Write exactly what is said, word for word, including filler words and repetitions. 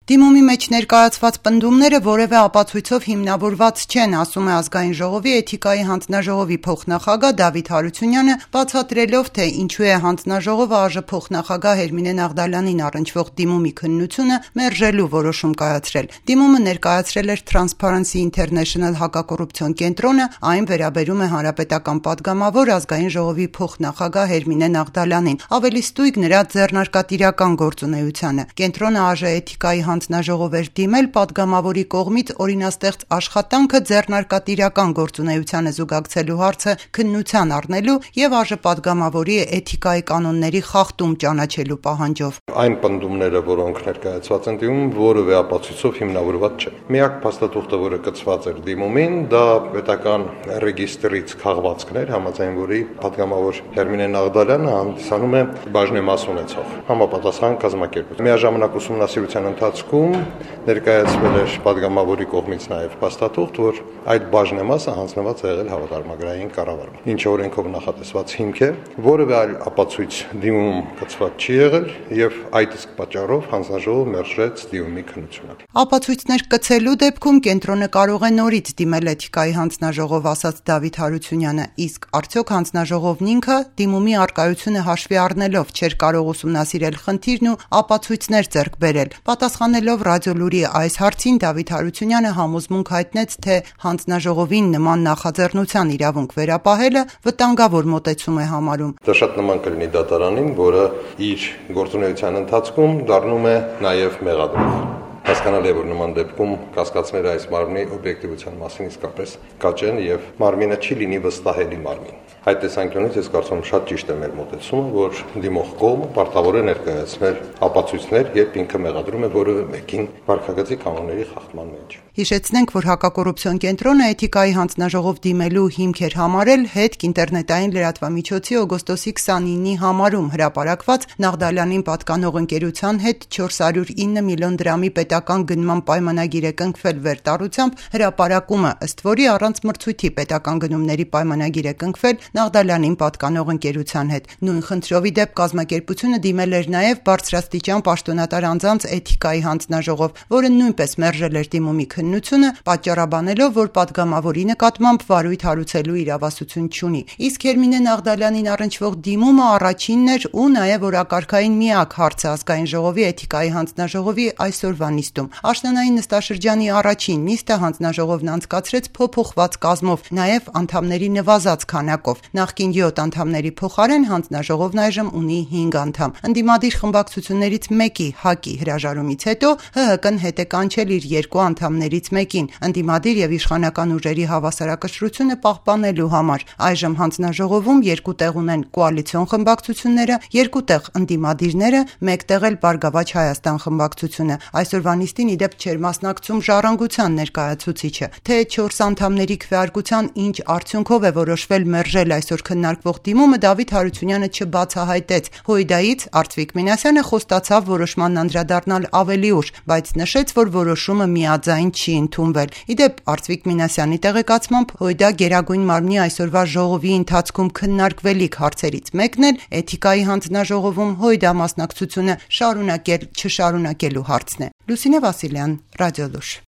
Դիմումի մեջ ներկայացված պնդումները որևէ ապացույցով հիմնավորված չեն, ասում է Ազգային ժողովի էթիկայի հանձնաժողովի փոխնախագահ Դավիթ Հարությունյանը, բացատրելով, թե ինչու է հանձնաժողովը ԱԺ փոխնախագահ Հերմինե Նաղդալյանին առնչվող դիմումի քննությունը մերժելու որոշում կայացրել։ Դիմումը ներկայացրել էր Transparency International հակակոռուպցիոն կենտրոնը, այն վերաբերում է հանրապետական պատգամավոր Ազգային ժողովի փոխնախագահ Հերմինե Նաղդալյանին, ավելի ստույգ նրա ձեռնարկատիրական գործունեությանը։ Կենտրոնը ԱԺ էթիկայի հանձնաժողով էր դիմել պատգամավորի կողմից օրինաստեղծ աշխատանքը ձեռնարկատիրական գործունեությանը զուգակցելու հարցը քննության առնելու եւ ԱԺ պատգամավորի էթիկայի կանոնների խախտում ճանաչելու պահանջով։ Այն պնդումները, որոնք ներկայացված են դիմում, որևէ ապացույցով հիմնավորված չեն։ Միակ փաստաթուղթը, որը կցված էր դիմումին, դա պետական ռեգիստրից քաղվածքներ, համաձայն որի պատգամավոր Հերմինե Նաղդալյանը հանդիսանում է բաժնեմաս ունեցող համապատասխան կազմակերպություն։ Միաժամանակ ուսումնասիրության ընթացքում ներկայացվել էր պատգամավորի կողմից նաև փաստաթուղթ, որ այդ բաժնեմասը հանձնված է եղել հավատարմագրային կառավարման, ինչը օրենքով նախատեսված հիմք է, որևէ այլ ապացույց դիմում կցված չի եղել եւ այդ իսկ պատճառով հանձնաժողովը մերժեց դիմումի քննությունը։ Ապացույցներ կցելու դեպքում կենտրոնը կարող է նորից դիմել էթիկայի հանձնաժողով, ասաց Դավիթ Հարությունյանը, իսկ արդյոք հանձնաժողովն ինքը դիմումի առկայությունը հաշվի առնելով չէր կարող ուսումնասիրել խնդիրն ու ապացույցներ ձեռք բերել։ Պատասխանելով Ռադիոլուրի այս հարցին Դավիթ Հարությունյանը համոզմունք հայտնեց, թե հանձնաժողովին նման նախաձեռնության իրավունք վերապահելը վտանգավոր մոտեցում է համարում։ Դա շատ նման կլինի դատարանին, որը իր գործունեության ընթացքում դառնում է նաև մեղադրող։ Հասկանալի է, որ նման դեպքում կասկածները այս մարմնի օբյեկտիվության մասին իսկապես կաճ են եւ մարմինը չի լինի վստահելի մարմին։ Այդ տեսանկյունից ես կարծում եմ շատ ճիշտ է մեր մոտեցումը, որ դիմող կողմը պարտավոր է ներկայացնել ապացույցներ, երբ ինքը մեղադրում է որևէ մեկին վարքագծի կանոնների խախտման մեջ։ Հիշեցնենք, որ հակակոռուպցիոն կենտրոնը էթիկայի հանձնաժողով դիմելու հիմք էր համարել հետք ինտերնետային լրատվամիջոցի օգոստոսի քսանինի համարում հրապարակված Նաղդալյանին պատկանող ընկերության հետ չորս հարյուր ինը միլիոն դրամի պետական գնման պայմանագիր է կնքվել վերտառությամբ հրապարակումը, ըստ որի առանց մրցույթի պետական գնումների պայմանագիր է կնքվել Նաղդալյանին պատկանող ընկերության հետ։ Նույն խնդրով ի դեպ կազմակերպությունը դիմել էր նաև բարձրաստիճան պաշտոնատար անձանց էթիկայի հանձնաժողով, որը նույնպես մերժել էր դիմումի քննությունը, պատճառաբանելով, որ պատգամավորի նկատմամբ վարույթ հարուցելու իրավասություն չունի։ Իսկ Հերմինե Նաղդալյանին առնչվող դիմումը առաջինն էր ու նաև օրակարգային միակ հարցը Ազգային ժողովի էթիկայի հանձնաժողովի այսօրվա նիստում։ Աշնանային նստաշրջանի առաջին նիստը հանձնաժողովն անցկացրեց փոփոխված կազմով, նաև անդամների նվազած քանակով։ Նախկին յոթ անդամների փոխարեն հանձնաժողովն այժմ ունի հինգ անդամ։ Ընդդիմադիր խմբակցություններից մեկի ՀԱԿ-ի հրաժարումից հետո ՀՀԿ-ն հետ է կանչել իր երկու անդամներից մեկին ընդդիմադիր եւ իշխանական ուժերի հավասարակշռությունը պահպանելու համար։ Այժմ հանձնաժողովում երկու տեղ ունեն կոալիցիոն խմբակցությունները, երկու տեղ ընդդիմադիրները, մեկ տեղ էլ Բարգավաճ Հայաստան խմբակցությունը։ Այսօրվա նիստին ի դեպ չէր մասնակցում Ժառանգության ներկայացուցիչը։ Թե չորս անդամների քվեարկության ինչ արդյունքով է որոշվել մերժել այսօր քննարկվող դիմումը, Դավիթ Հարությունյանը չբացահայտեց։ Հույդայից Արծվիկ Մինասյանը խոստացավ որոշման անդրադառնալ ավելի ուշ, բայց նշեց, որ որոշումը միաձայն չի ընդունվել։ Ի դեպ Արծվիկ Մինասյանի տեղեկացմամբ Հույդա Գերագույն մարմնի այսօրվա ժողովի ընթացքում քննարկվելիք հարցերից մեկն էլ էթիկայի հանձնաժողովում Հույդա մասնակցությունը շարունակել չշարունակելու հարցն է։ Լուսինե Վասիլյան, Ռադիոլուր։